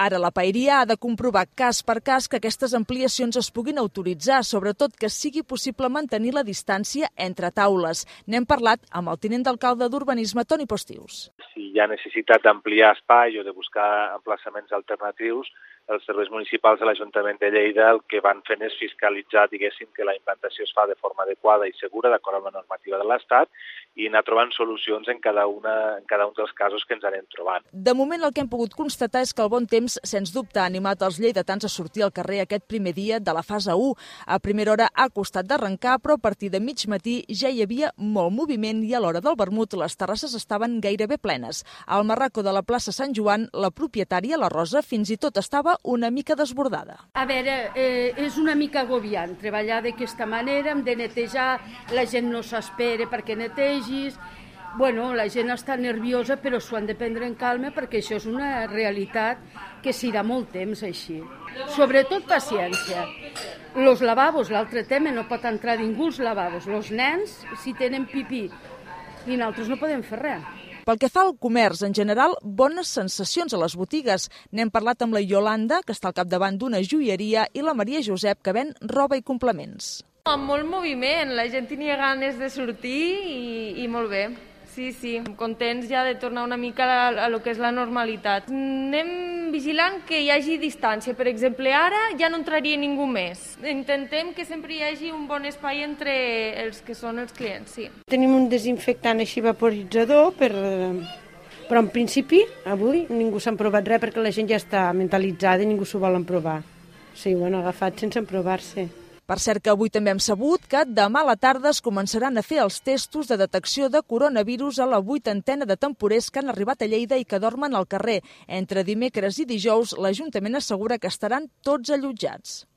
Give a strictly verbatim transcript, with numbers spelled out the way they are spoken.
Ara la paeria ha de comprovar cas per cas que aquestes ampliacions es puguin autoritzar, sobretot que sigui possible mantenir la distància entre taules. N'hem parlat amb el tinent d'alcalde d'Urbanisme, Toni Postius. Si hi ha necessitat d'ampliar espai o de buscar emplaçaments alternatius, els serveis municipals de l'Ajuntament de Lleida el que van fent és fiscalitzar, diguéssim, que la implantació es fa de forma adequada i segura, d'acord amb la normativa de l'Estat, i anar trobant solucions en cada, una, en cada un dels casos que ens anem trobant. De moment el que hem pogut constatar és que el bon temps, sens dubte, ha animat els lleidatans a sortir al carrer aquest primer dia de la fase u. A primera hora ha costat d'arrencar, però a partir de mig matí ja hi havia molt moviment i a l'hora del vermut les terrasses estaven gairebé plenes. Al marraco de la plaça Sant Joan, la propietària, la Rosa, fins i tot estava una mica desbordada. A veure, eh, és una mica agobiant treballar d'aquesta manera, hem de netejar, la gent no s'espera perquè netegis. Bueno, la gent està nerviosa, però s'ho han de prendre en calma perquè això és una realitat que s'irà molt temps així. Sobretot paciència. Los lavabos, l'altre tema, no pot entrar ningú als lavabos. Los nens, si tenen pipí, i nosaltres no podem fer res. Pel que fa al comerç, en general, bones sensacions a les botigues. N'hem parlat amb la Iolanda, que està al capdavant d'una joieria, i la Maria Josep, que ven roba i complements. Amb molt moviment, la gent tenia ganes de sortir i, i molt bé. Sí, sí, contents ja de tornar una mica a, a lo que és la normalitat. Anem vigilant que hi hagi distància. Per exemple, ara ja no entraria ningú més. Intentem que sempre hi hagi un bon espai entre els que són els clients, sí. Tenim un desinfectant així vaporitzador, per, però en principi avui ningú s'ha provat res perquè la gent ja està mentalitzada i ningú s'ho volen provar. Sí, ho han agafat sense emprovar-se. Per cert que avui també hem sabut que demà a la tarda es començaran a fer els testos de detecció de coronavirus a la vuitantena de temporers que han arribat a Lleida i que dormen al carrer. Entre dimecres i dijous, l'Ajuntament assegura que estaran tots allotjats.